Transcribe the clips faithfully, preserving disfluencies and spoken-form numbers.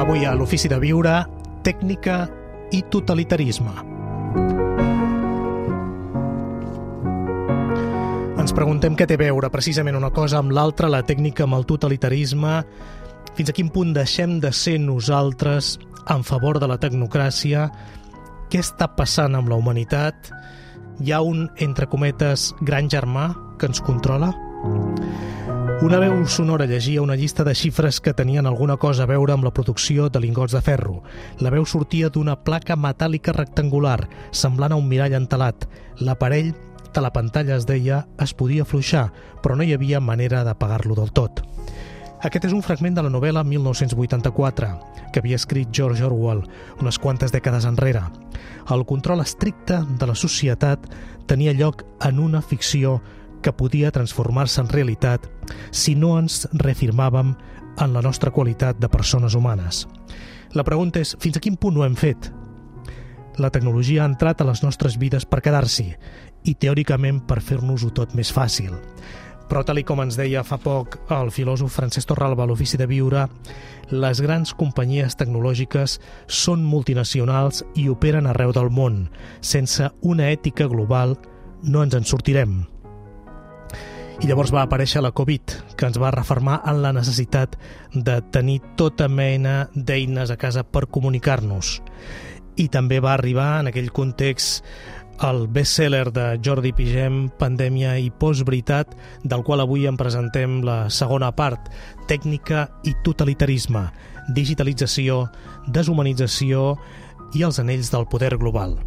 Avui a l'Ofici de Viure, tècnica i totalitarisme. Ens preguntem què té a veure precisament una cosa amb l'altra, la tècnica amb el totalitarisme, fins a quin punt deixem de ser nosaltres en favor de la tecnocràcia, què està passant amb la humanitat, hi ha un, entre cometes, gran germà que ens controla? Una veu sonora llegia una llista de xifres que tenien alguna cosa a veure amb la producció de lingots de ferro. La veu sortia d'una placa metàl·lica rectangular, semblant a un mirall entelat. L'aparell de la pantalla, es deia, es podia afluixar, però no hi havia manera d'apagar-lo del tot. Aquest és un fragment de la novel·la mil nou-cents vuitanta-quatre, que havia escrit George Orwell unes quantes dècades enrere. El control estricte de la societat tenia lloc en una ficció que podia transformar-se en realitat si no ens reafirmàvem en la nostra qualitat de persones humanes. La pregunta és, fins a quin punt ho hem fet? La tecnologia ha entrat a les nostres vides per quedar-s'hi i teòricament per fer-nos-ho tot més fàcil. Però tal i com ens deia fa poc el filòsof Francesc Torralba a l'Ofici de Viure, les grans companyies tecnològiques són multinacionals i operen arreu del món. Sense una ètica global no ens en sortirem. I llavors va aparèixer la Covid, que ens va refermar en la necessitat de tenir tota mena d'eines a casa per comunicar-nos. I també va arribar en aquell context el best-seller de Jordi Pigem, Pandèmia i Postveritat, del qual avui en presentem la segona part, tècnica i totalitarisme, digitalització, deshumanització i els anells del poder global.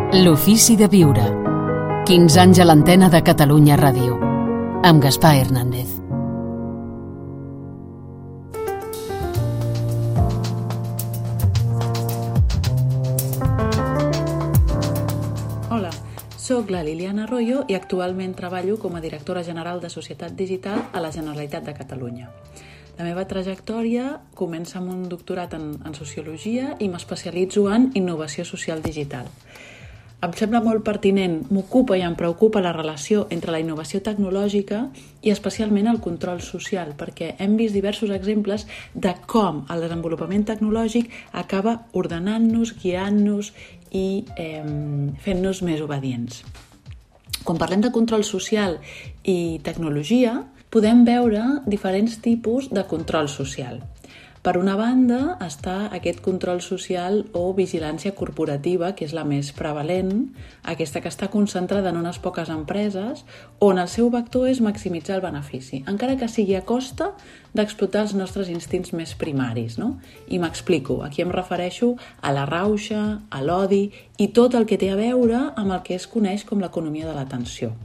L'Ofici de Viure. quinze anys a l'antena de Catalunya Ràdio. Amb Gaspar Hernández. Hola, soc la Liliana Arroyo i actualment treballo com a directora general de Societat Digital a la Generalitat de Catalunya. La meva trajectòria comença amb un doctorat en, en Sociologia i m'especialitzo en Innovació Social Digital. Em sembla molt pertinent, m'ocupa i em preocupa la relació entre la innovació tecnològica i especialment el control social, perquè hem vist diversos exemples de com el desenvolupament tecnològic acaba ordenant-nos, guiant-nos i eh, fent-nos més obedients. Quan parlem de control social i tecnologia, podem veure diferents tipus de control social. Per una banda està aquest control social o vigilància corporativa, que és la més prevalent, aquesta que està concentrada en unes poques empreses, on el seu vector és maximitzar el benefici, encara que sigui a costa d'explotar els nostres instints més primaris, no? I m'explico, aquí em refereixo a la rauxa, a l'odi i tot el que té a veure amb el que es coneix com l'economia de l'atenció.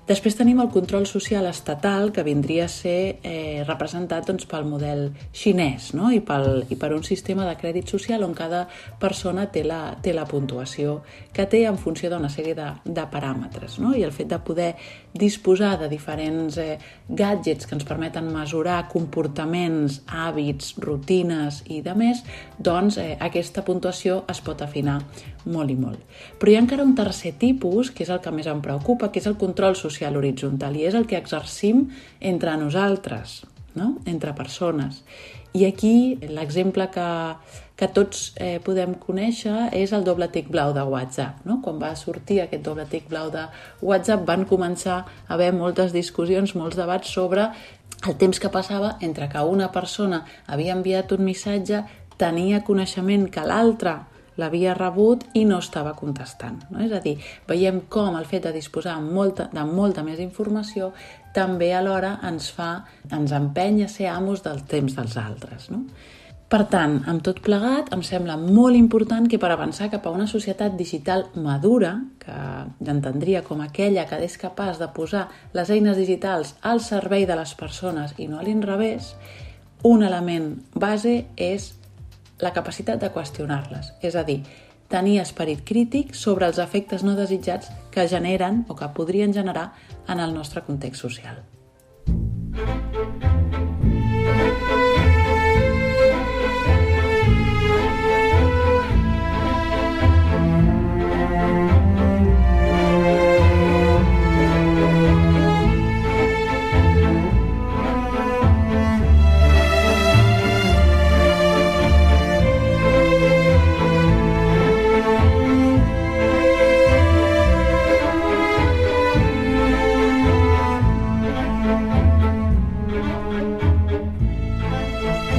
Després tenim el control social estatal, que vindria a ser eh, representat doncs, pel model xinès, no? I, pel, i per un sistema de crèdit social on cada persona té la, té la puntuació que té en funció d'una sèrie de, de paràmetres, no? I el fet de poder disposar de diferents eh, gadgets que ens permeten mesurar comportaments, hàbits, rutines i de més, doncs eh, aquesta puntuació es pot afinar molt i molt. Però hi ha encara un tercer tipus, que és el que més em preocupa, que és el control social horitzontal, i és el que exercim entre nosaltres, no? Entre persones. I aquí l'exemple que, que tots eh, podem conèixer és el doble tic blau de WhatsApp, no? Quan va sortir aquest doble tic blau de WhatsApp van començar a haver moltes discussions, molts debats sobre el temps que passava entre que una persona havia enviat un missatge, tenia coneixement que l'altra l'havia rebut i no estava contestant, no? És a dir, veiem com el fet de disposar molta, de molta més informació també alhora ens fa, ens empeny a ser amos del temps dels altres, no? Per tant, amb tot plegat, em sembla molt important que per avançar cap a una societat digital madura, que entendria com aquella que és capaç de posar les eines digitals al servei de les persones i no a l'inrevés, un element base és la capacitat de qüestionar-les, és a dir, tenir esperit crític sobre els efectes no desitjats que generen o que podrien generar en el nostre context social.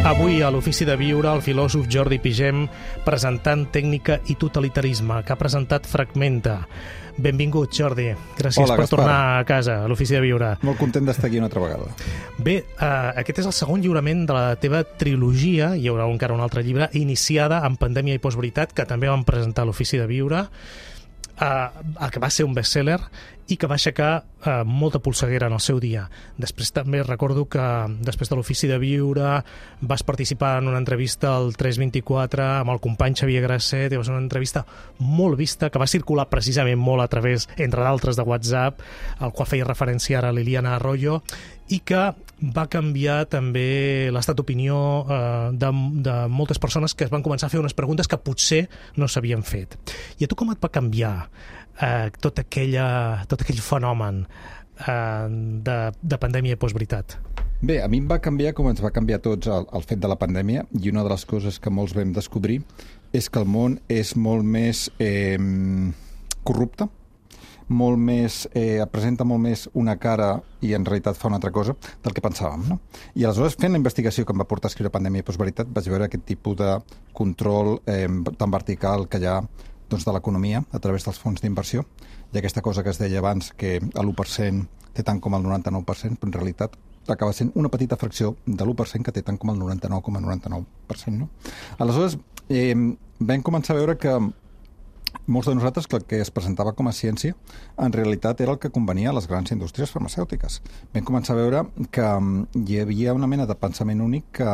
Avui a l'Ofici de Viure el filòsof Jordi Pigem presentant Tècnica i totalitarisme, que ha presentat Fragmenta. Benvingut, Jordi. Gràcies Hola, per Gaspar. tornar a casa, a l'Ofici de Viure. Molt content d'estar aquí una altra vegada. Bé, eh, aquest és el segon lliurament de la teva trilogia, hi haurà encara un altre llibre, iniciada en Pandèmia i Postveritat, que també vam presentar a l'Ofici de Viure, eh, que va ser un best-seller i que va aixecar eh, molta polseguera en el seu dia. Després també recordo que després de l'Ofici de Viure vas participar en una entrevista al tres vint-i-quatre amb el company Xavier Grasset, i va ser una entrevista molt vista, que va circular precisament molt a través, entre d'altres, de WhatsApp, al qual feia referència ara Liliana Arroyo, i que va canviar també l'estat d'opinió eh, de, de moltes persones que es van començar a fer unes preguntes que potser no s'havien fet. I a tu com et va canviar eh, tot, aquella, tot aquell fenomen eh, de, de pandèmia i postveritat? Bé, a mi em va canviar com ens va canviar a tots el, el fet de la pandèmia, i una de les coses que molts vam descobrir és que el món és molt més eh, corrupte, molt més, eh, presenta molt més una cara i en realitat fa una altra cosa del que pensàvem, no? I aleshores, fent la investigació que em va portar a escriure Pandèmia i Postveritat, vaig veure aquest tipus de control eh, tan vertical que hi ha doncs, de l'economia a través dels fons d'inversió, i aquesta cosa que es deia abans, que l'u per cent té tant com el noranta-nou per cent, però en realitat acaba sent una petita fracció de l'u per cent que té tant com el noranta-nou coma noranta-nou per cent, no? Aleshores, eh, vam començar a veure que molts de nosaltres que el que es presentava com a ciència en realitat era el que convenia a les grans indústries farmacèutiques. Vam començar a veure que hi havia una mena de pensament únic que,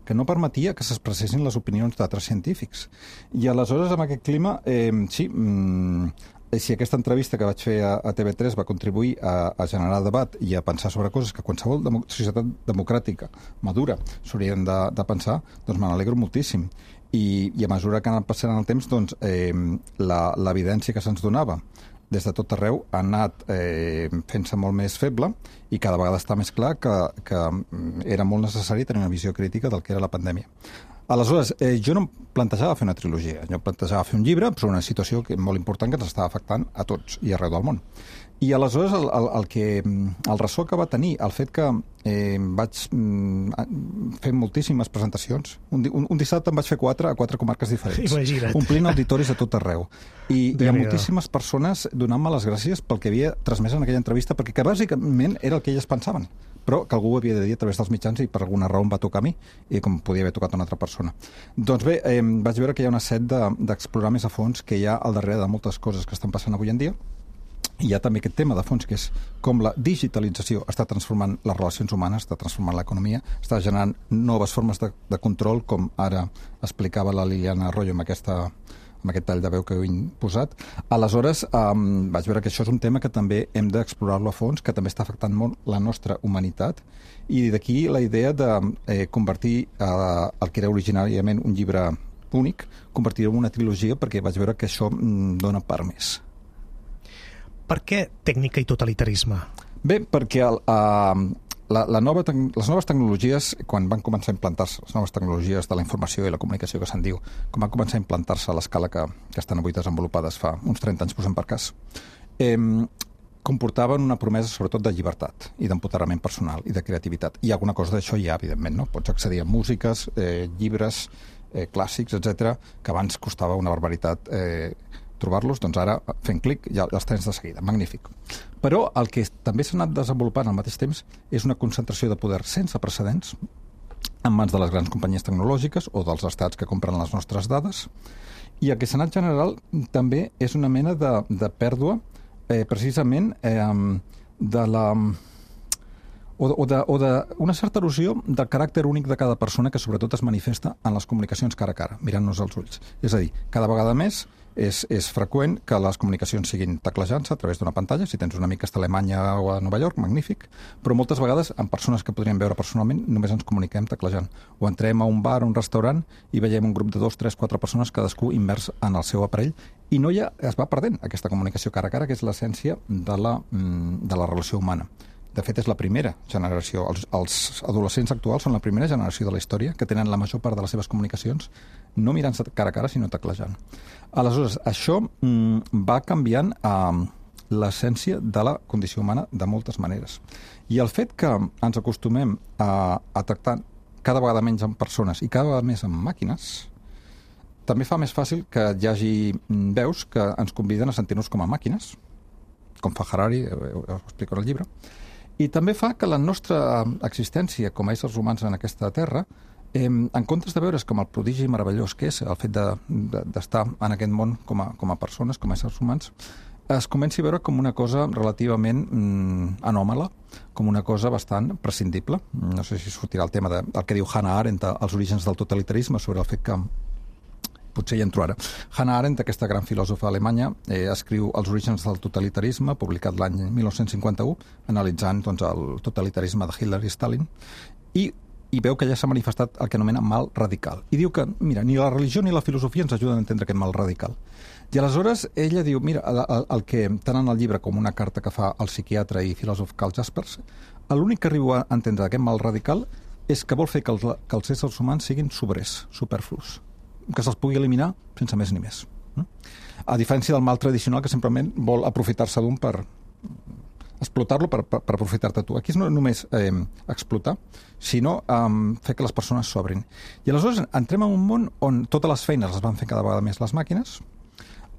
que no permetia que s'expressessin les opinions d'altres científics. I aleshores, amb aquest clima, eh, sí, mm, si aquesta entrevista que vaig fer a, a T V tres va contribuir a, a generar debat i a pensar sobre coses que qualsevol demo, societat democràtica madura s'haurien de, de pensar, doncs me n'alegro moltíssim. I, i a mesura que ha anat passant el temps, doncs, eh, l'evidència que se'ns donava des de tot arreu ha anat eh, fent-se molt més feble, i cada vegada està més clar que, que era molt necessari tenir una visió crítica del que era la pandèmia. Aleshores, eh, jo no em plantejava fer una trilogia, jo em plantejava fer un llibre sobre una situació que, molt important que ens estava afectant a tots i arreu del món. I aleshores el, el, el, que, el ressò que va tenir el fet que eh, vaig mm, fer moltíssimes presentacions, un, un, un dissabte em vaig fer quatre a quatre comarques diferents, Imagina't. omplint auditoris a tot arreu, i hi ha moltíssimes persones donant-me les gràcies pel que havia transmès en aquella entrevista, perquè que bàsicament era el que elles pensaven, però que algú ho havia de dir a través dels mitjans i per alguna raó em va tocar a mi, i com podia haver tocat a una altra persona. Doncs bé, eh, vaig veure que hi ha una set d'explorar de, més a fons que hi ha al darrere de moltes coses que estan passant avui en dia. Hi ha també aquest tema de fons, que és com la digitalització està transformant les relacions humanes, està transformant l'economia, està generant noves formes de, de control, com ara explicava la Liliana Arroyo amb, aquesta, amb aquest tall de veu que heu posat. Aleshores, um, vaig veure que això és un tema que també hem d'explorar-lo a fons, que també està afectant molt la nostra humanitat, i d'aquí la idea de eh, convertir eh, el que era originàriament un llibre únic, convertir-ho en una trilogia, perquè vaig veure que això mm, dona per més. Per què tècnica i totalitarisme? Bé, perquè el, uh, la, la nova les noves tecnologies, quan van començar a implantar-se, les noves tecnologies de la informació i la comunicació que se'n diu, quan van començar a implantar-se a l'escala que, que estan avui desenvolupades fa uns trenta anys, posem per cas, eh, comportaven una promesa sobretot de llibertat i d'empoderament personal i de creativitat. I alguna cosa d'això hi ha, evidentment, no? Pots accedir a músiques, eh, llibres, eh, clàssics, etcètera, que abans costava una barbaritat eh, trobar-los, doncs ara, fent clic, ja els tens de seguida. Magnífic. Però el que també s'ha anat desenvolupant al mateix temps és una concentració de poder sense precedents en mans de les grans companyies tecnològiques o dels estats que compren les nostres dades, i el que s'ha anat general també és una mena de, de pèrdua eh, precisament eh, de la... o d'una certa erosió del caràcter únic de cada persona, que sobretot es manifesta en les comunicacions cara a cara, mirant-nos als ulls. És a dir, cada vegada més és, és freqüent que les comunicacions siguin teclejant-se a través d'una pantalla. Si tens un amic que està a Alemanya o a Nova York, magnífic, però moltes vegades amb persones que podríem veure personalment només ens comuniquem teclejant. O entrem a un bar o un restaurant i veiem un grup de dos, tres, quatre persones, cadascú immers en el seu aparell, i no hi ha, es va perdent aquesta comunicació cara a cara, que és l'essència de la, de la relació humana. De fet, és la primera generació. Els, els adolescents actuals són la primera generació de la història que tenen la major part de les seves comunicacions no mirant-se cara a cara, sinó teclejant. Aleshores, això mm, va canviant eh, l'essència de la condició humana de moltes maneres. I el fet que ens acostumem a, a tractar cada vegada menys amb persones i cada vegada més amb màquines, també fa més fàcil que hi hagi veus que ens conviden a sentir-nos com a màquines, com fa Harari, ho explico en el llibre, i també fa que la nostra existència com a éssers humans en aquesta terra, eh, en comptes de veure's com el prodigi meravellós que és el fet d'estar de, de, en aquest món com a, com a persones, com a éssers humans, es comenci a veure com una cosa relativament mm, anòmala, com una cosa bastant prescindible. No sé si sortirà el tema del que diu Hannah Arendt, els orígens del totalitarisme, sobre el fet que potser hi entro ara. Hannah Arendt, aquesta gran filòsofa alemanya, eh, escriu Els orígens del totalitarisme, publicat l'any mil nou-cents cinquanta-u, analitzant doncs, el totalitarisme de Hitler i Stalin, i, i veu que ja s'ha manifestat el que anomena mal radical. I diu que, mira, ni la religió ni la filosofia ens ajuden a entendre aquest mal radical. I aleshores ella diu, mira, el, el, el que, tant en el llibre com una carta que fa el psiquiatre i filòsof Karl Jaspers, l'únic que arribo a entendre d'aquest mal radical és que vol fer que els, que els éssers humans siguin sobrers, superflus, que se'ls pugui eliminar sense més ni més. A diferència del mal tradicional que simplement vol aprofitar-se d'un per explotar-lo per, per, per aprofitar-te tu. Aquí és no només eh, explotar, sinó eh, fer que les persones s'obrin. I aleshores entrem en un món on totes les feines les van fer cada vegada més les màquines,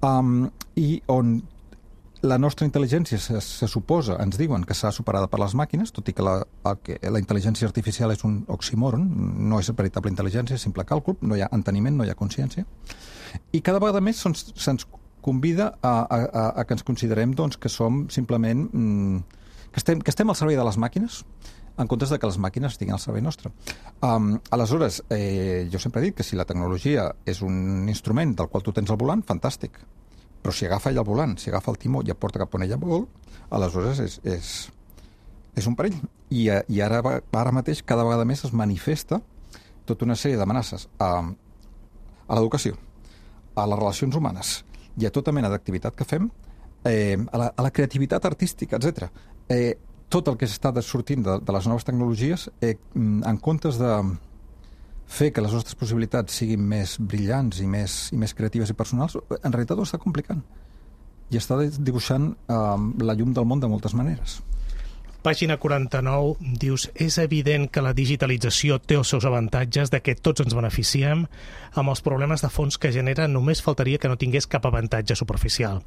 um, i on la nostra intel·ligència se, se suposa, ens diuen que s'ha superada per les màquines, tot i que la, el que la intel·ligència artificial és un oxímoron, no és veritable intel·ligència, és simple càlcul, no hi ha enteniment, no hi ha consciència. I cada vegada més se'ns, se'ns convida a, a, a, a que ens considerem doncs, que som simplement... Mm, que, estem, que estem al servei de les màquines, en comptes de que les màquines estiguin al servei nostre. Um, aleshores, eh, jo sempre he dit que si la tecnologia és un instrument del qual tu tens el volant, fantàstic. Però si agafa ell el volant, si agafa el timó i el porta cap on ella vol, aleshores és, és, és un perill. I, i ara, ara mateix cada vegada més es manifesta tota una sèrie d'amenaces a, a l'educació, a les relacions humanes i a tota mena d'activitat que fem, eh, a, la, a la creativitat artística, etcètera. Eh, tot el que s'està sortint de, de les noves tecnologies, eh, en comptes de fer que les nostres possibilitats siguin més brillants i més, i més creatives i personals, en realitat ho està complicant. I està dibuixant eh, la llum del món de moltes maneres. Pàgina quaranta-nou, dius, és evident que la digitalització té els seus avantatges, de que tots ens beneficiem, amb els problemes de fons que genera només faltaria que no tingués cap avantatge superficial.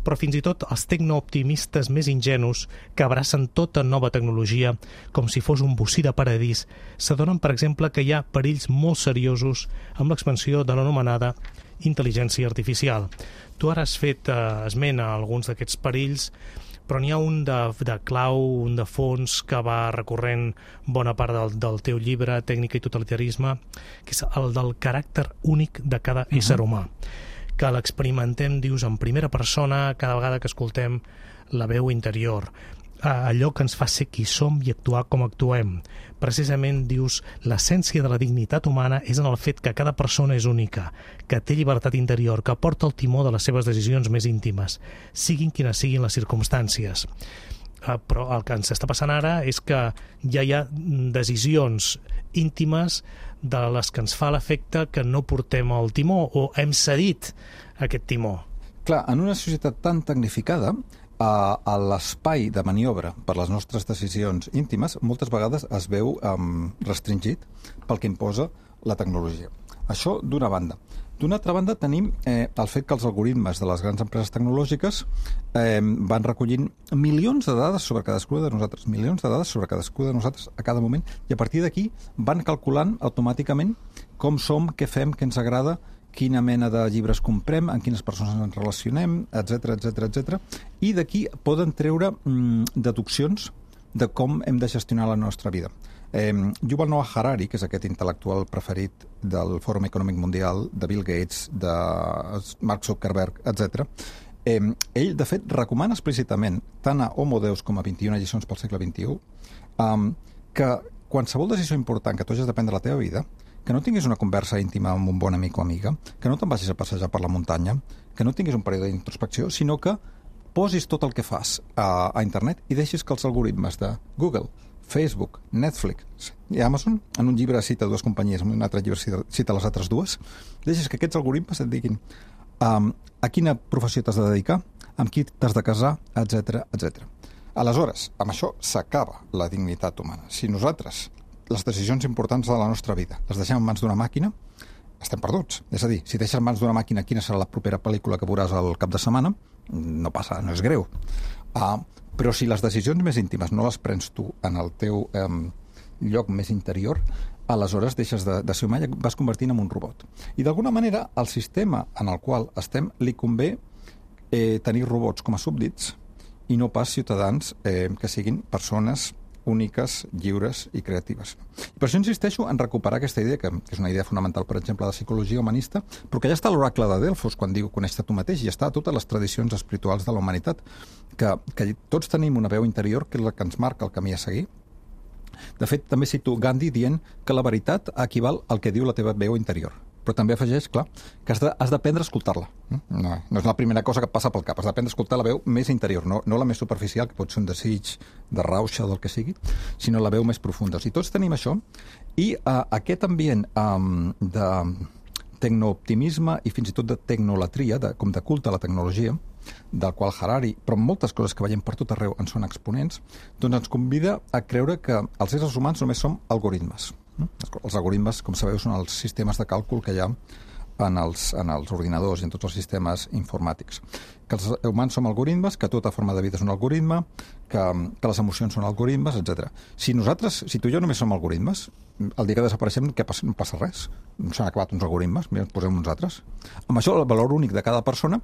Però fins i tot els tecnooptimistes més ingenus, que abracen tota nova tecnologia com si fos un bocí de paradís, s'adonen, per exemple, que hi ha perills molt seriosos amb l'expansió de l'anomenada intel·ligència artificial. Tu ara has fet eh, esment a alguns d'aquests perills, però n'hi ha un de, de clau, un de fons que va recorrent bona part del, del teu llibre, Tècnica i totalitarisme, que és el del caràcter únic de cada uh-huh. ésser humà, que l'experimentem, dius, en primera persona cada vegada que escoltem la veu interior, allò que ens fa ser qui som i actuar com actuem. Precisament, dius, l'essència de la dignitat humana és en el fet que cada persona és única, que té llibertat interior, que porta el timó de les seves decisions més íntimes, siguin quines siguin les circumstàncies. Uh, però el que ens està passant ara és que ja hi ha decisions íntimes de les que ens fa l'efecte que no portem el timó o hem cedit aquest timó. Clar, en una societat tan tecnificada, a l'espai de maniobra per les nostres decisions íntimes moltes vegades es veu um, restringit pel que imposa la tecnologia. Això d'una banda. D'una altra banda tenim eh, el fet que els algoritmes de les grans empreses tecnològiques eh, van recollint milions de dades sobre cadascuna de nosaltres, milions de dades sobre cadascuna de nosaltres a cada moment, i a partir d'aquí van calculant automàticament com som, què fem, què ens agrada, quina mena de llibres comprem, amb quines persones ens relacionem, etcètera, etcètera, etcètera. I d'aquí poden treure mm, deduccions de com hem de gestionar la nostra vida. Eh, Yuval Noah Harari, que és aquest intel·lectual preferit del Fòrum Econòmic Mundial, de Bill Gates, de Mark Zuckerberg, etcètera, eh, ell, de fet, recomana explícitament, tant a Homo Deus com a vint-i-una lliçons pel segle vint-i-u, eh, que qualsevol decisió important que tu hagis de prendre a la teva vida, que no tinguis una conversa íntima amb un bon amic o amiga, que no te'n vagis a passejar per la muntanya, que no tinguis un període d'introspecció, sinó que posis tot el que fas a, a internet i deixis que els algoritmes de Google, Facebook, Netflix i Amazon, en un llibre cita dues companyies, en un altre llibre cita, cita les altres dues, deixis que aquests algoritmes et diguin um, a quina professió t'has de dedicar, amb qui t'has de casar, etcètera, etcètera. Aleshores, amb això s'acaba la dignitat humana. Si nosaltres les decisions importants de la nostra vida les deixem en mans d'una màquina, estem perduts. És a dir, si deixes en mans d'una màquina quina serà la propera pel·lícula que veuràs al cap de setmana, no passa, no és greu. Uh, però si les decisions més íntimes no les prens tu en el teu um, lloc més interior, aleshores deixes de, de ser humà i vas convertint en un robot. I d'alguna manera, al sistema en el qual estem, li convé eh, tenir robots com a súbdits i no pas ciutadans eh, que siguin persones úniques, lliures i creatives. I per això insisteixo en recuperar aquesta idea, que és una idea fonamental, per exemple, de psicologia humanista, però que ja està a l'oracle de Delfos, quan diu coneix-te tu mateix, i està a totes les tradicions espirituals de la humanitat, que, que tots tenim una veu interior que és la que ens marca el camí a seguir. De fet, també cito Gandhi dient que la veritat equival al que diu la teva veu interior. Però també afegeix, clar, que has de, has d'aprendre a escoltar-la. No, no és la primera cosa que et passa pel cap. Has d'aprendre a escoltar la veu més interior, no, no la més superficial, que pot ser un desig de rauxa o del que sigui, sinó la veu més profunda. O sigui, tots tenim això, i uh, aquest ambient um, de tecnooptimisme i fins i tot de tecnolatria, de, com de culte a la tecnologia, del qual Harari, però moltes coses que veiem per tot arreu en són exponents, doncs ens convida a creure que els éssers humans només som algoritmes. Els algoritmes, com sabeu, són els sistemes de càlcul que hi ha en els, en els ordinadors i en tots els sistemes informàtics. Que els humans som algoritmes, que tota forma de vida és un algoritme, que, que les emocions són algoritmes, etcètera. Si nosaltres, si tu i jo només som algoritmes, el dia que desapareixem què passa? No passa res. S'han acabat uns algoritmes, mira, ens posem uns altres. Amb això, el valor únic de cada persona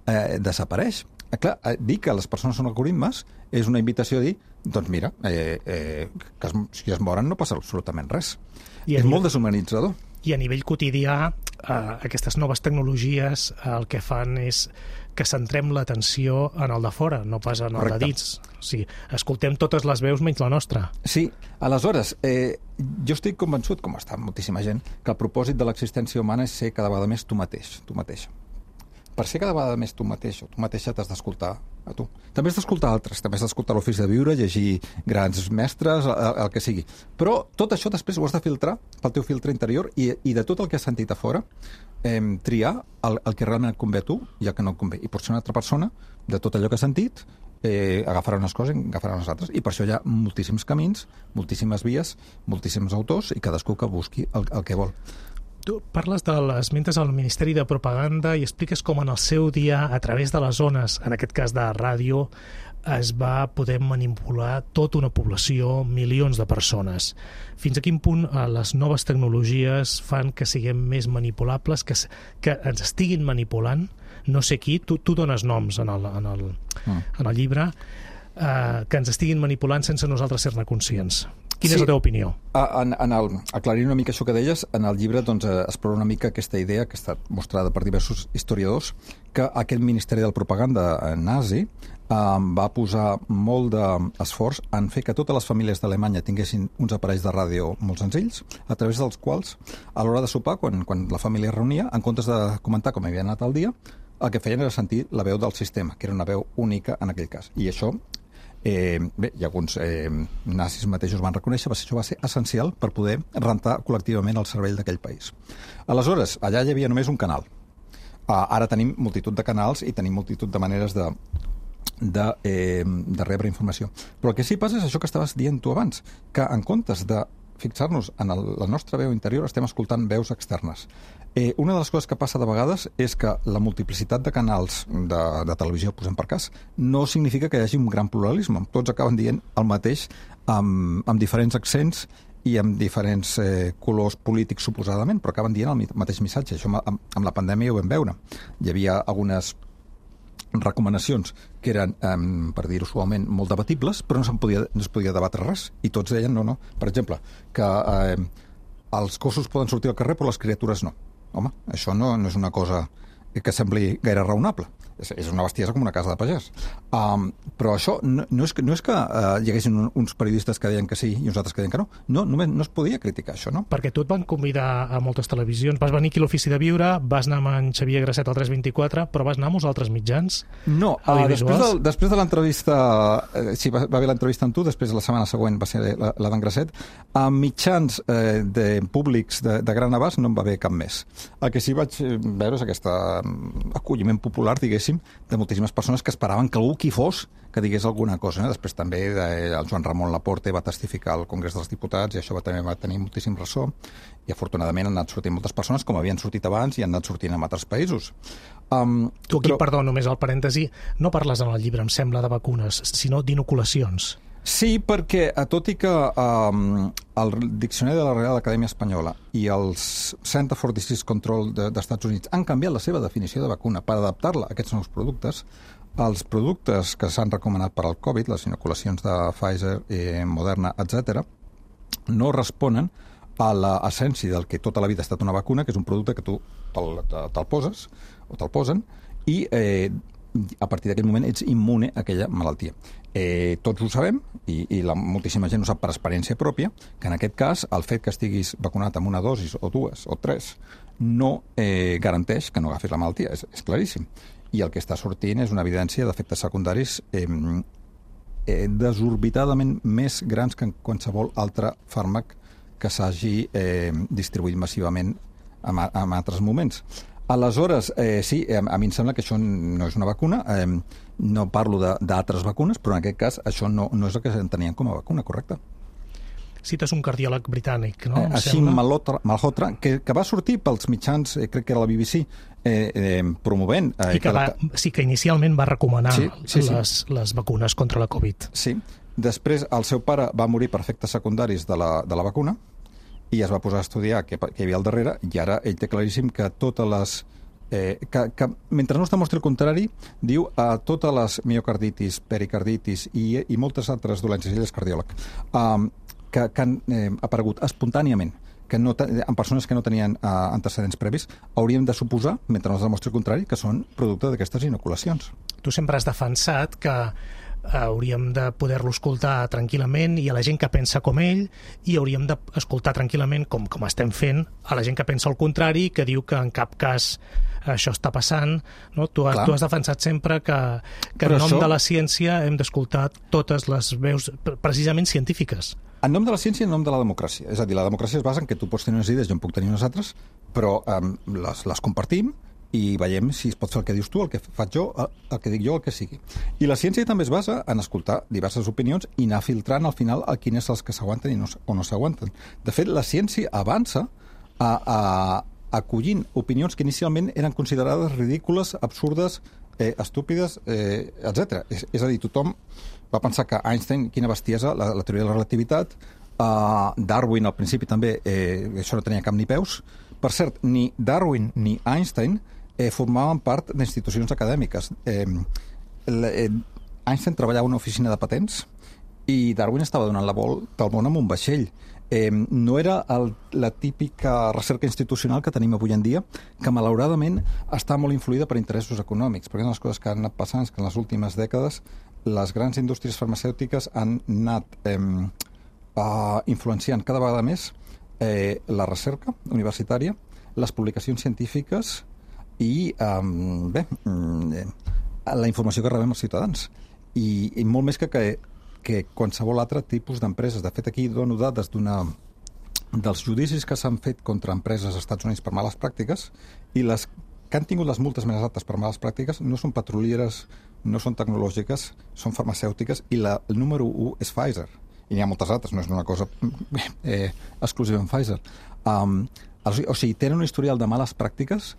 eh, desapareix. Eh, clar, eh, dir que les persones són algoritmes és una invitació a dir, doncs mira, eh, eh, que es, si es moren no passa absolutament res. I és molt deshumanitzador. I a nivell quotidià, eh, aquestes noves tecnologies eh, el que fan és que centrem l'atenció en el de fora, no pas en el Correcte. De dins. O sigui, escoltem totes les veus menys la nostra. Sí, aleshores, eh, jo estic convençut, com està moltíssima gent, que el propòsit de l'existència humana és ser cada vegada més tu mateix, tu mateixa. Per ser cada vegada més tu mateix o tu mateixa t'has d'escoltar a tu. També has d'escoltar altres, també has d'escoltar l'ofici de viure, llegir grans mestres, el, el que sigui. Però tot això després ho has de filtrar pel teu filtre interior i, i de tot el que has sentit a fora, eh, triar el, el que realment et convé a tu i el que no et convé. I potser una altra persona, de tot allò que has sentit, eh, agafarà unes coses i agafarà unes altres. I per això hi ha moltíssims camins, moltíssimes vies, moltíssims autors i cadascú que busqui el, el que vol. Tu parles de les mentes al Ministeri de Propaganda i expliques com en el seu dia, a través de les ones, en aquest cas de ràdio, es va poder manipular tota una població, milions de persones. Fins a quin punt eh, les noves tecnologies fan que siguem més manipulables, que, que ens estiguin manipulant? No sé qui, tu, tu dones noms en el, en el, mm. en el llibre, eh, que ens estiguin manipulant sense nosaltres ser-ne conscients. Quina sí, és la teva opinió? En, en el, aclarint una mica això que deies, en el llibre doncs, explora una mica aquesta idea que ha estat mostrada per diversos historiadors, que aquest Ministeri de Propaganda nazi eh, va posar molt d'esforç en fer que totes les famílies d'Alemanya tinguessin uns aparells de ràdio molt senzills, a través dels quals, a l'hora de sopar, quan, quan la família es reunia, en comptes de comentar com havia anat el dia, el que feien era sentir la veu del sistema, que era una veu única en aquell cas. I això Eh, bé, i alguns eh, nazis mateixos van reconèixer que això va ser essencial per poder rentar col·lectivament el cervell d'aquell país. Aleshores, allà hi havia només un canal. Uh, ara tenim multitud de canals i tenim multitud de maneres de, de, eh, de rebre informació. Però el que sí passa és això que estaves dient tu abans, que en comptes de fixar-nos en el, la nostra veu interior estem escoltant veus externes. Eh, una de les coses que passa de vegades és que la multiplicitat de canals de, de televisió, posem per cas, no significa que hi hagi un gran pluralisme. Tots acaben dient el mateix amb, amb diferents accents i amb diferents eh, colors polítics suposadament, però acaben dient el mateix missatge. Això amb, amb la pandèmia ho vam veure. Hi havia algunes recomanacions que eren, eh, per dir-ho suaument, molt debatibles, però no, se'n podia, no es podia debatre res. I tots deien, no, no, per exemple, que eh, els gossos poden sortir al carrer però les criatures no. Home, això no, no és una cosa que sembli gaire raonable. És, és una bestiesa com una casa de pagès. Um, però això no, no és que, no és que uh, hi haguessin un, uns periodistes que deien que sí i uns altres que deien que no. No, només no es podia criticar això, no? Perquè tu et van convidar a moltes televisions. Vas venir aquí a l'Ofici de Viure, vas anar amb en Xavier Grasset al tres vint-i-quatre, però vas anar a molts altres mitjans? No, uh, després, de, després de l'entrevista, eh, sí, va, va haver l'entrevista amb tu, després la setmana següent va ser la, la d'en Grasset, a mitjans eh, de públics de, de gran abast no en va haver cap més. El que sí vaig veure és aquest acolliment popular, diguéssim, moltíssim, de moltíssimes persones que esperaven que algú qui fos que digués alguna cosa. Eh? Després també eh, el Joan Ramon Laporte va testificar al Congrés dels Diputats i això va, també va tenir moltíssim ressò i afortunadament han anat sortint moltes persones com havien sortit abans i han anat sortint en altres països. Um, tu aquí, però... perdó, només al parèntesi, no parles en el llibre, em sembla, de vacunes, sinó d'inoculacions. Sí, perquè tot i que um, el Diccionari de la Real Acadèmia Espanyola i els Center for Disease Control de, dels Estats Units han canviat la seva definició de vacuna per adaptar-la a aquests nous productes, els productes que s'han recomanat per al Covid, les inoculacions de Pfizer, eh, Moderna, etcètera, no responen a l'essència del que tota la vida ha estat una vacuna, que és un producte que tu te'l, te'l poses o te'l posen i eh, a partir d'aquest moment ets immune a aquella malaltia. Eh, tots ho sabem, i, i la, moltíssima gent ho sap per experiència pròpia, que en aquest cas el fet que estiguis vacunat amb una dosis o dues o tres no eh, garanteix que no agafis la malaltia, és, és claríssim. I el que està sortint és una evidència d'efectes secundaris eh, eh, desorbitadament més grans que en qualsevol altre fàrmac que s'hagi eh, distribuït massivament en, en altres moments. Aleshores, eh, sí, a, a mi em sembla que això no és una vacuna, eh, no parlo d'altres vacunes, però en aquest cas això no, no és el que s'entenien com a vacuna, correcte? Cites un cardiòleg britànic, no? Eh, així, Malhotra, que, que va sortir pels mitjans, eh, crec que era la B B C, eh, eh, promovent... Eh, I que, va, que... sí, que inicialment va recomanar sí, sí, sí. Les, les vacunes contra la Covid. Sí, després el seu pare va morir per efectes secundaris de la, de la vacuna, i es va posar a estudiar què, què hi havia al darrere, i ara ell té claríssim que totes les... Eh, que, que mentre no es demostri el contrari, diu a totes les miocarditis, pericarditis i, i moltes altres dolències, ell és cardiòleg, um, que, que han eh, aparegut espontàniament, que no en persones que no tenien uh, antecedents previs, hauríem de suposar, mentre no es demostri el contrari, que són producte d'aquestes inoculacions. Tu sempre has defensat que hauríem de poder-lo escoltar tranquil·lament i a la gent que pensa com ell, i hauríem d'escoltar tranquil·lament, com, com estem fent, a la gent que pensa el contrari, que diu que en cap cas això està passant. No? Tu, has, tu has defensat sempre que, que en nom això... de la ciència hem d'escoltar totes les veus precisament científiques. En nom de la ciència i en nom de la democràcia. És a dir, la democràcia es basa en que tu pots tenir unes idees, jo en puc tenir unes altres, però um, les, les compartim i veiem si es pot fer el que dius tu, el que faig jo, el que dic jo, el que sigui. I la ciència també es basa en escoltar diverses opinions i anar filtrant al final a quines els que s'aguanten i no, o no s'aguanten. De fet, la ciència avança a, a, acollint opinions que inicialment eren considerades ridícules, absurdes, eh, estúpides, eh, etcètera. És, és a dir, tothom va pensar que Einstein, quina bestiesa, la, la teoria de la relativitat, uh, Darwin al principi també, eh, això no tenia cap ni peus. Per cert, ni Darwin ni Einstein eh, formaven part d'institucions acadèmiques. Eh, eh, Einstein treballava en una oficina de patents i Darwin estava donant la volta al món amb un vaixell. Eh, no era el, la típica recerca institucional que tenim avui en dia, que malauradament està molt influïda per interessos econòmics, perquè una de les coses que han anat passant és que en les últimes dècades les grans indústries farmacèutiques han anat eh, uh, influenciant cada vegada més eh, la recerca universitària, les publicacions científiques i um, bé, eh, la informació que rebem els ciutadans. I, i molt més que, que, que qualsevol altre tipus d'empreses. De fet, aquí dono dades d'una dels judicis que s'han fet contra empreses als Estats Units per males pràctiques, i les que han tingut les multes més altes per males pràctiques no són petrolieres, no són tecnològiques, són farmacèutiques, i la, el número u és Pfizer. I n'hi ha moltes altres, no és una cosa eh, exclusiva en Pfizer. Um, o sigui, tenen un historial de males pràctiques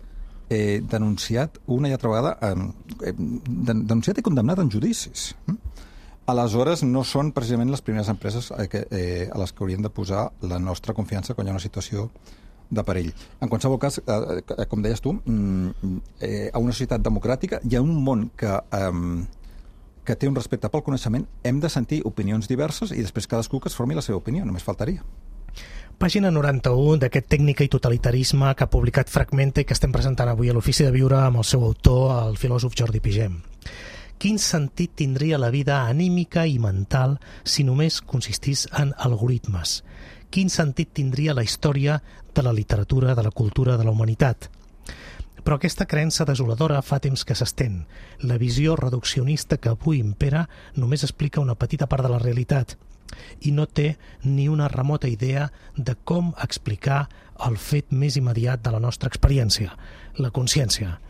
eh, denunciat una i altra vegada, eh, denunciat i condemnat en judicis. Aleshores, no són precisament les primeres empreses eh, que, eh, a les que hauríem de posar la nostra confiança quan hi ha una situació de perill. En qualsevol cas, eh, com deies tu, eh, a una societat democràtica hi ha un món que, eh, que té un respecte pel coneixement, hem de sentir opinions diverses i després cadascú que es formi la seva opinió, només faltaria. Pàgina noranta-u d'aquest Tècnica i totalitarisme que ha publicat Fragmenta i que estem presentant avui a l'Ofici de Viure amb el seu autor, el filòsof Jordi Pigem. Quin sentit tindria la vida anímica i mental si només consistís en algoritmes? Quin sentit tindria la història de la literatura, de la cultura, de la humanitat? Però aquesta creença desoladora fa temps que s'estén. La visió reduccionista que avui impera només explica una petita part de la realitat i no té ni una remota idea de com explicar el fet més immediat de la nostra experiència, la consciència.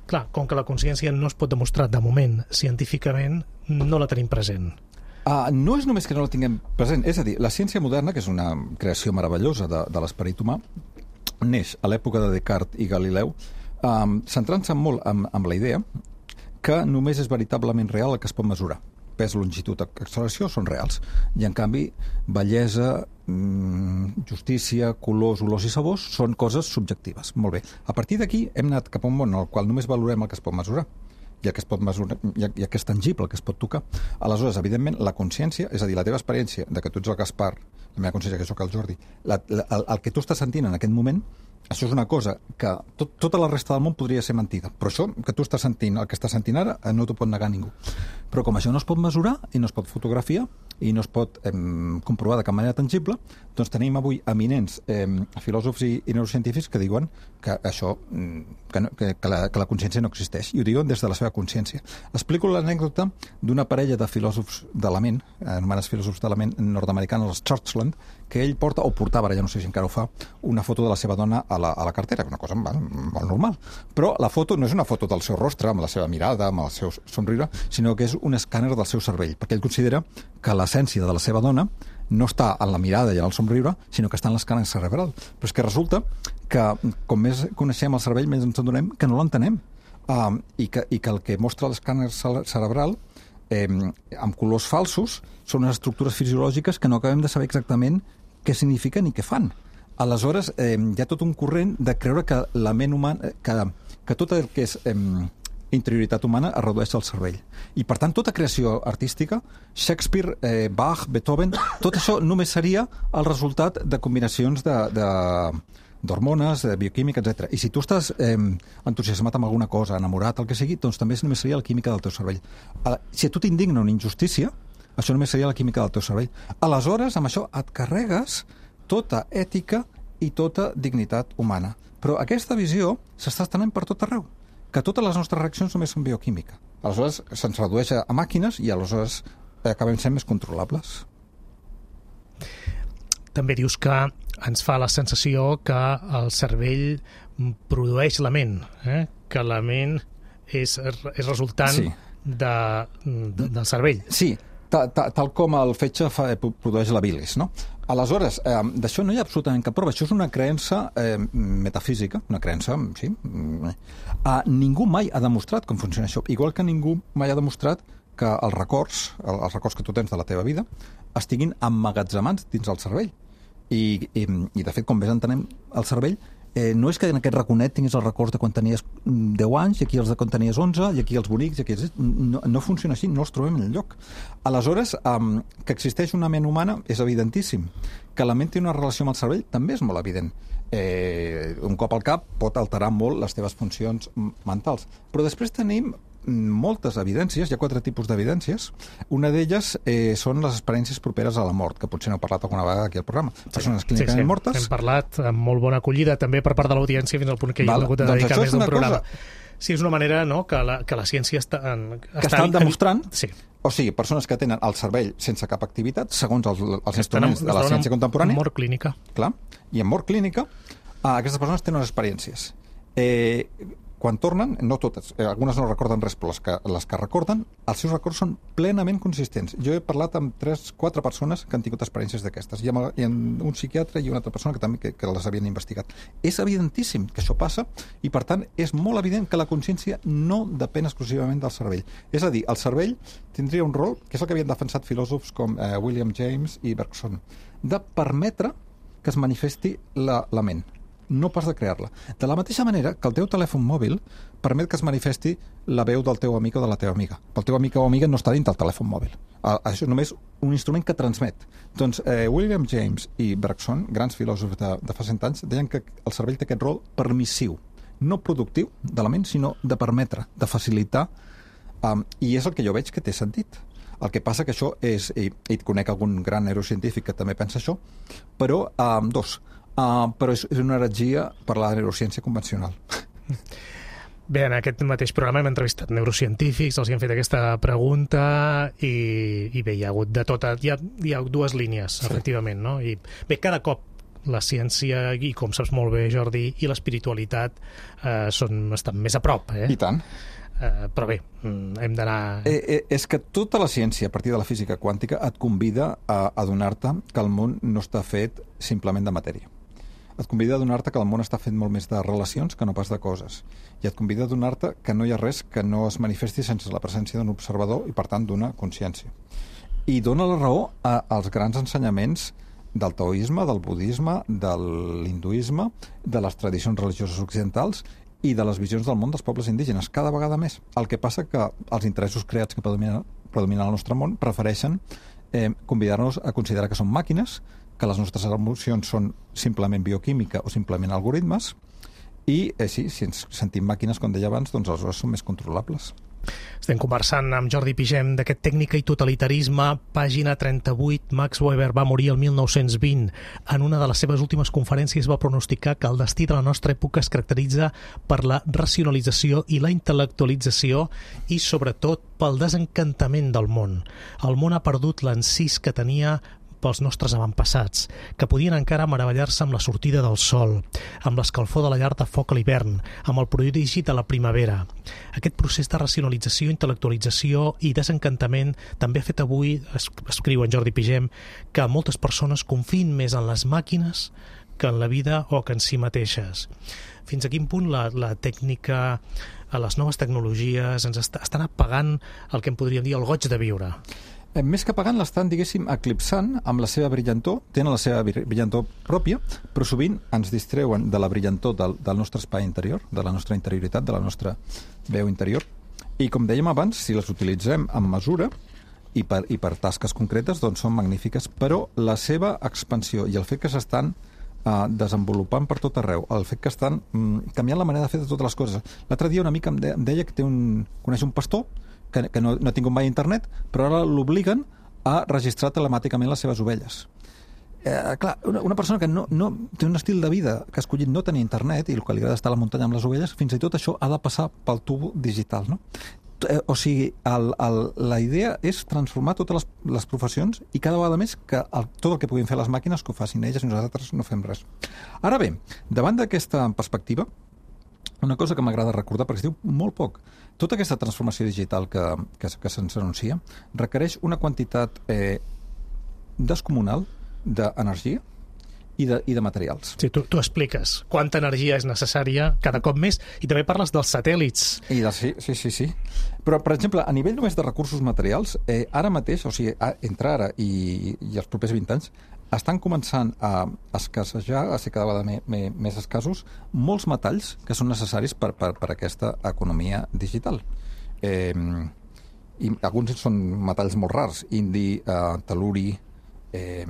clar, com que la consciència no es pot demostrar de moment científicament, no la tenim present. Uh, no és només que no la tinguem present, és a dir, la ciència moderna, que és una creació meravellosa de, de l'esperit humà, neix a l'època de Descartes i Galileu, um, centrant-se molt amb, amb la idea que només és veritablement real el que es pot mesurar. Pes, longitud, acceleració són reals. I, en canvi, bellesa, mmm, justícia, colors, olors i sabors són coses subjectives. Molt bé. A partir d'aquí hem anat cap a un món en el qual només valorem el que es pot mesurar. I el que es pot mesurar, i el que és tangible, el que es pot tocar. Aleshores, evidentment, la consciència, és a dir, la teva experiència de que tu ets el Gaspar, la meva consciència que soc el Jordi, la, la, el, el que tu estàs sentint en aquest moment, això és una cosa que tot, tota la resta del món podria ser mentida. Però això que tu estàs sentint, el que estàs sentint ara, no t'ho pot negar ningú. Però com això no es pot mesurar i no es pot fotografiar i no es pot eh, comprovar de cap manera tangible, doncs tenim avui eminents eh, filòsofs i, i neurocientífics que diuen que això, que, no, que, que, la, que la consciència no existeix. I ho diuen des de la seva consciència. Explico l'anècdota d'una parella de filòsofs de la ment, anomenats filòsofs de la ment nord-americans, els Churchland, que ell porta, o portava, ara ja no sé si encara ho fa, una foto de la seva dona a la, a la cartera, una cosa molt, molt normal. Però la foto no és una foto del seu rostre, amb la seva mirada, amb el seu somriure, sinó que és un escàner del seu cervell, perquè ell considera que l'essència de la seva dona no està en la mirada i en el somriure, sinó que està en l'escàner cerebral. Però és que resulta que com més coneixem el cervell, més ens adonem que no l'entenem. Um, i, que, I que el que mostra l'escàner cerebral eh, amb colors falsos són unes estructures fisiològiques que no acabem de saber exactament què signifiquen i què fan. Aleshores, eh, hi ha tot un corrent de creure que la ment humana, que, que tot el que és eh, interioritat humana es redueix al cervell. I, per tant, tota creació artística, Shakespeare, eh, Bach, Beethoven, tot això només seria el resultat de combinacions de... de d'hormones, de bioquímica, etcètera. I si tu estàs eh, entusiasmat amb alguna cosa, enamorat, el que sigui, doncs també només seria la química del teu cervell. Si a tu t'indigna una injustícia, això només seria la química del teu cervell. Aleshores, amb això et carregues tota ètica i tota dignitat humana. Però aquesta visió s'està estenent per tot arreu, que totes les nostres reaccions només són bioquímica. Aleshores, se'ns redueix a màquines i aleshores acabem sent més controlables. També dius que ens fa la sensació que el cervell produeix la ment, eh? Que la ment és, és resultant sí. de, de, del cervell. Sí, ta, ta, tal com el fetge fa, produeix la bilis, no? Aleshores, eh, d'això no hi ha absolutament cap prova. Això és una creença eh, metafísica, una creença, sí. Eh, ningú mai ha demostrat com funciona això. Igual que ningú mai ha demostrat que els records, els records que tu tens de la teva vida, estiguin emmagatzemats dins el cervell. I, i, i de fet, com més entenem el cervell, eh, no és que en aquest raconet tinguis els records de quan tenies deu anys, i aquí els de quan tenies onze, i aquí els bonics, i aquí els... No, no funciona així, no els trobem en lloc. Aleshores, um, que existeix una ment humana és evidentíssim. Que la ment té una relació amb el cervell també és molt evident. Eh, un cop al cap pot alterar molt les teves funcions mentals. Però després tenim moltes evidències, hi ha quatre tipus d'evidències. Una d'elles eh, són les experiències properes a la mort, que potser n'heu parlat alguna vegada aquí al programa. Persones clínicament sí, sí, mortes. Hem parlat amb molt bona acollida també per part de l'audiència fins al punt que hi hem hagut de dedicar doncs més d'un programa. Cosa... Sí, és una manera no, que, la, que la ciència està... En, que està estan demostrant... Sí. O sigui, persones que tenen el cervell sense cap activitat, segons els, els instruments en, de la ciència contemporània. Mort clínica. Clar. I en mort clínica, eh, aquestes persones tenen unes experiències. Eh... Quan tornen, no totes, eh, algunes no recorden res, però les que, les que recorden, els seus records són plenament consistents. Jo he parlat amb tres, quatre persones que han tingut experiències d'aquestes, i amb, i amb un psiquiatre i una altra persona que també que, que les havien investigat. És evidentíssim que això passa, i per tant és molt evident que la consciència no depèn exclusivament del cervell. És a dir, el cervell tindria un rol, que és el que havien defensat filòsofs com eh, William James i Bergson, de permetre que es manifesti la, la ment, no pas de crear-la. De la mateixa manera que el teu telèfon mòbil permet que es manifesti la veu del teu amic o de la teva amiga. El teu amic o amiga no està dins del telèfon mòbil. Això és només un instrument que transmet. Doncs eh, William James i Bergson, grans filòsofs de, de fa cent anys, deien que el cervell té aquest rol permissiu, no productiu de la ment, sinó de permetre, de facilitar, um, i és el que jo veig que té sentit. El que passa que això és, i, i conec algun gran neurocientífic que també pensa això, però, um, dos, Uh, però és, és una heretgia per la neurociència convencional. Bé, en aquest mateix programa hem entrevistat neurocientífics, els hi han fet aquesta pregunta i, i bé, hi ha hagut de tot, hi ha, hi ha dues línies, sí. Efectivament, no? I bé, cada cop la ciència, i com saps molt bé, Jordi, i l'espiritualitat eh, són, estan més a prop. Eh? I tant. Eh, però bé, hem d'anar... Eh, eh, és que tota la ciència, a partir de la física quàntica, et convida a adonar-te que el món no està fet simplement de matèria. Et convida a adonar-te que el món està fet molt més de relacions que no pas de coses. I et convida a adonar-te que no hi ha res que no es manifesti sense la presència d'un observador i, per tant, d'una consciència. I dona la raó a, als grans ensenyaments del taoisme, del budisme, de l'hinduisme, de les tradicions religioses occidentals i de les visions del món dels pobles indígenes, cada vegada més. El que passa que els interessos creats que predominen, predominen al nostre món prefereixen eh, convidar-nos a considerar que són màquines, que les nostres emocions són simplement bioquímica o simplement algoritmes, i eh, sí, si ens sentim màquines, com deia abans, doncs aleshores són més controlables. Estem conversant amb Jordi Pigem d'aquest Tècnica i totalitarisme, pàgina trenta-vuit. Max Weber va morir el mil nou-cents vint. En una de les seves últimes conferències va pronosticar que el destí de la nostra època es caracteritza per la racionalització i la intel·lectualització i, sobretot, pel desencantament del món. El món ha perdut l'encís que tenia pels nostres avantpassats, que podien encara meravellar-se amb la sortida del sol, amb l'escalfor de la llar de foc a l'hivern, amb el prodigi de la primavera. Aquest procés de racionalització, intel·lectualització i desencantament també ha fet avui, escriu en Jordi Pigem, que moltes persones confiïn més en les màquines que en la vida o que en si mateixes. Fins a quin punt la, la tècnica, les noves tecnologies ens est estan apagant el que en podríem dir el goig de viure? Més que pagant, l'estan, diguéssim, eclipsant amb la seva brillantor, tenen la seva brillantor pròpia, però sovint ens distreuen de la brillantor del, del nostre espai interior, de la nostra interioritat, de la nostra veu interior. I com dèiem abans, si les utilitzem amb mesura i per, i per tasques concretes, doncs són magnífiques, però la seva expansió i el fet que s'estan Uh, desenvolupant per tot arreu, el fet que estan um, canviant la manera de fer de totes les coses. L'altre dia una mica em, de, em deia que té un, coneix un pastor que, que no, no ha tingut mai internet, però ara l'obliguen a registrar telemàticament les seves ovelles. Eh, clar, una, una persona que no, no té un estil de vida que ha escollit no tenir internet i el que li agrada estar a la muntanya amb les ovelles, fins i tot això ha de passar pel tubo digital, no? O sigui, el, el, la idea és transformar totes les, les professions i cada vegada més que el, tot el que puguin fer les màquines que ho facin elles i nosaltres no fem res. Ara bé, davant d'aquesta perspectiva, una cosa que m'agrada recordar, perquè es diu molt poc, tota aquesta transformació digital que, que, que se'ns anuncia requereix una quantitat eh, descomunal d'energia i de, i de materials. Sí, tu, tu expliques quanta energia és necessària cada cop més i també parles dels satèl·lits. I de, sí, sí, sí, sí. Però, per exemple, a nivell només de recursos materials, eh, ara mateix, o sigui, a, entre ara i, i els propers vint anys, estan començant a escassejar, a ser cada vegada me, me, més escassos, molts metalls que són necessaris per, per, per aquesta economia digital. Eh, i alguns són metalls molt rars, indi, eh, teluri, eh,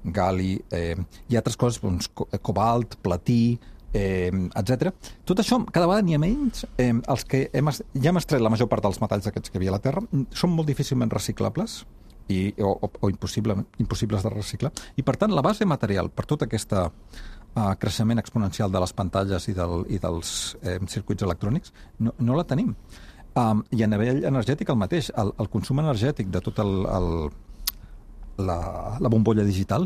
gali, eh, i altres coses, doncs, cobalt, platí, eh, etcètera. Tot això, cada vegada n'hi ha menys. Eh, els que hem, ja hem extret la major part dels metalls aquests que hi havia a la Terra, són molt difícilment reciclables i, o, o, o impossible, impossibles de reciclar. I, per tant, la base material per tot aquest uh, creixement exponencial de les pantalles i, del, i dels eh, circuits electrònics no, no la tenim. Um, I a nivell energètic el mateix. El, el consum energètic de tot el... el La, la bombolla digital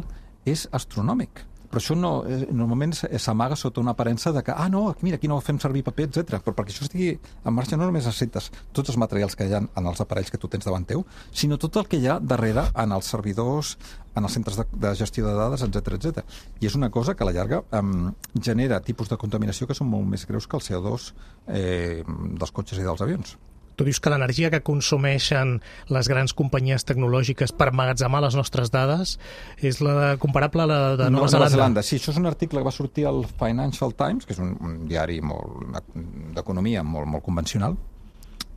és astronòmic. Però això no, eh, normalment s'amaga sota una aparença de que, ah, no, mira, aquí no fem servir paper, etcètera. Però perquè això estigui en marxa no només necessites tots els materials que hi ha en els aparells que tu tens davant teu, sinó tot el que hi ha darrere en els servidors, en els centres de, de gestió de dades, etcètera, etcètera. I és una cosa que a la llarga eh, genera tipus de contaminació que són molt més greus que el C O dos eh, dels cotxes i dels avions. Tu dius que l'energia que consumeixen les grans companyies tecnològiques per emmagatzemar les nostres dades és la comparable a la de Nova, no, Zelanda. Nova Zelanda. Sí, això és un article que va sortir al Financial Times, que és un, un diari d'economia molt, molt convencional,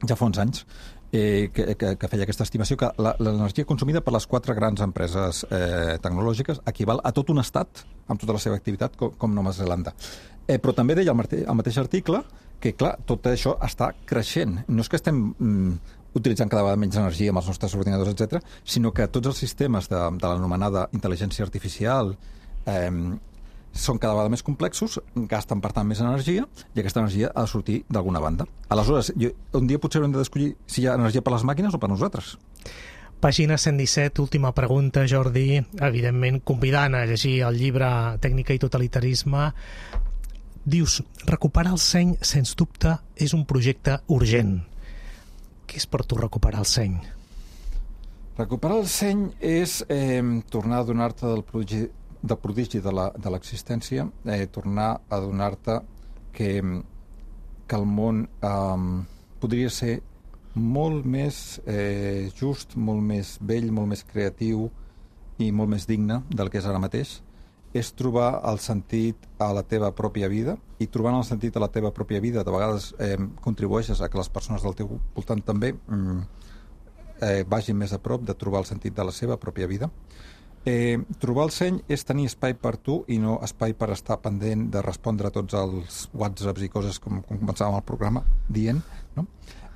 ja fa uns anys, eh, que, que, que feia aquesta estimació que l'energia consumida per les quatre grans empreses eh, tecnològiques equival a tot un estat amb tota la seva activitat com, com Nova Zelanda. Eh, però també deia el, el mateix article que, clar, tot això està creixent. No és que estem mm, utilitzant cada vegada menys energia amb els nostres ordinadors, etcètera, sinó que tots els sistemes de, de l'anomenada intel·ligència artificial eh, són cada vegada més complexos, gasten, per tant, més energia, i aquesta energia ha de sortir d'alguna banda. Aleshores, jo, un dia potser haurem de descollir si hi ha energia per les màquines o per nosaltres. Pàgina cent disset, última pregunta, Jordi. Evidentment, convidant a llegir el llibre Tècnica i totalitarisme. Dius, recuperar el seny, sens dubte, és un projecte urgent. Què és per tu recuperar el seny? Recuperar el seny és eh, tornar a donar-te del prodigi, del prodigi de l'existència, eh, tornar a donar-te que, que el món eh, podria ser molt més eh, just, molt més bell, molt més creatiu i molt més digne del que és ara mateix. És trobar el sentit a la teva pròpia vida, i trobant el sentit a la teva pròpia vida de vegades eh, contribueixes a que les persones del teu voltant també mm, eh, vagin més a prop de trobar el sentit de la seva pròpia vida. Eh, trobar el seny és tenir espai per tu i no espai per estar pendent de respondre a tots els whatsapps i coses com, com començàvem el programa dient, no?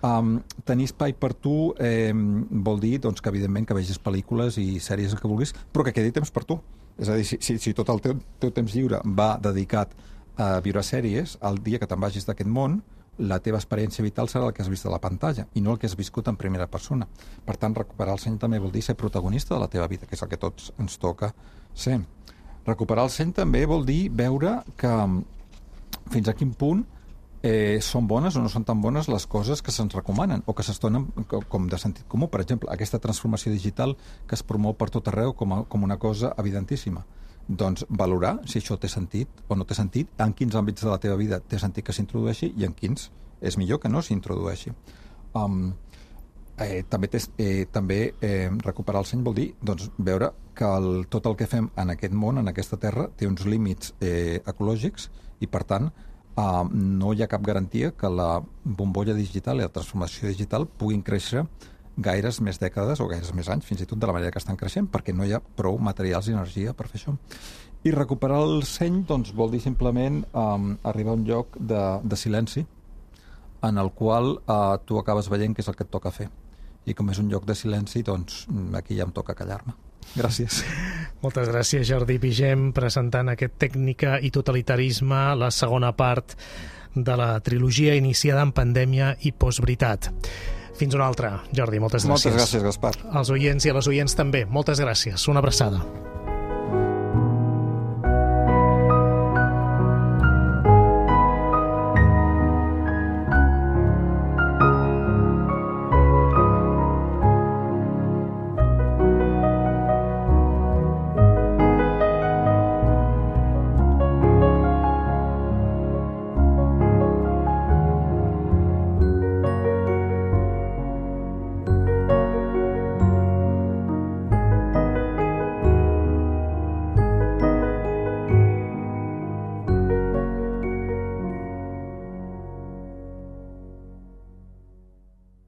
Um, tenir espai per tu eh, vol dir doncs, que evidentment que vegis pel·lícules i sèries que vulguis, però que quedi temps per tu. És a dir, si, si, si tot el teu, teu temps lliure va dedicat a viure sèries, el dia que te'n vagis d'aquest món, la teva experiència vital serà el que has vist a la pantalla i no el que has viscut en primera persona. Per tant, recuperar el seny també vol dir ser protagonista de la teva vida, que és el que tots ens toca ser. Recuperar el seny també vol dir veure que fins a quin punt eh, són bones o no són tan bones les coses que se'ns recomanen o que se'ns donen com de sentit comú. Per exemple, aquesta transformació digital que es promou per tot arreu com, a, com una cosa evidentíssima. Doncs valorar si això té sentit o no té sentit, en quins àmbits de la teva vida té sentit que s'introdueixi i en quins és millor que no s'introdueixi. Um, eh, també té, eh, també eh, recuperar el seny vol dir doncs, veure que el, tot el que fem en aquest món, en aquesta terra, té uns límits eh, ecològics i, per tant, Uh, no hi ha cap garantia que la bombolla digital i la transformació digital puguin créixer gaires més dècades o gaires més anys, fins i tot de la manera que estan creixent, perquè no hi ha prou materials i energia per fer això. I recuperar el seny doncs, vol dir simplement um, arribar a un lloc de, de silenci en el qual uh, tu acabes veient què és el que et toca fer. I com és un lloc de silenci, doncs aquí ja em toca callar-me. Gràcies. Moltes gràcies, Jordi Pigem, presentant aquest Tècnica i totalitarisme, la segona part de la trilogia iniciada en pandèmia i postveritat. Fins una altra, Jordi, moltes gràcies. Moltes gràcies, Gaspar. Als oients i a les oients també, moltes gràcies. Una abraçada.